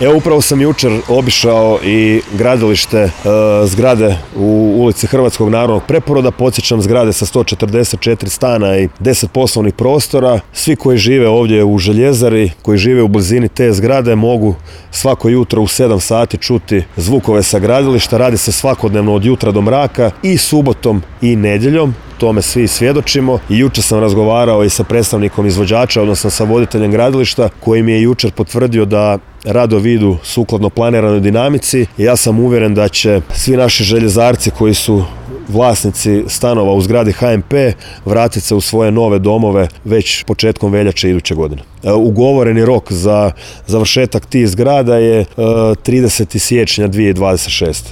Evo, upravo sam jučer obišao i gradilište zgrade u ulici Hrvatskog narodnog preporoda. Podsjećam, zgrade sa 144 stana i 10 poslovnih prostora. Svi koji žive ovdje u Željezari, koji žive u blizini te zgrade, mogu svako jutro u 7 sati čuti zvukove sa gradilišta. Radi se svakodnevno od jutra do mraka i subotom i nedjeljom. Tome svi svjedočimo. I jučer sam razgovarao i sa predstavnikom izvođača, odnosno sa voditeljem gradilišta, koji mi je jučer potvrdio da radovi idu sukladno planiranoj dinamici. I ja sam uvjeren da će svi naši željezarci koji su vlasnici stanova u zgradi HNP vratiti se u svoje nove domove već početkom veljače iduće godine. Ugovoreni rok za završetak tih zgrada je 30. siječnja 2026.